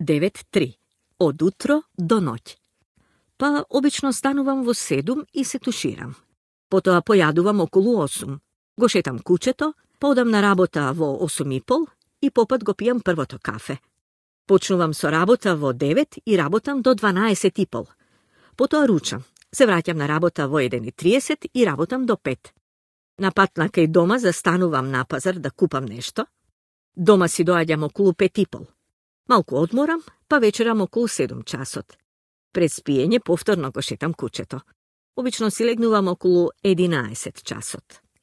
9-3. Од утро до ноќ. Па обично станувам во 7 и се туширам. Потоа појадувам околу 8. Го шетам кучето, подам на работа во 8:30 и попат го пијам првото кафе. Почнувам со работа во 9 и работам до 12:30. Потоа ручам. Се враќам на работа во 1:30 и работам до 5. На пат на кај дома застанувам на пазар да купам нешто. Дома си доаѓам околу 5:30. Малку одморам, па вечерам околу 7 часот. Пред спиење повторно го шетам кучето. Обично си легнувам околу 11 часот.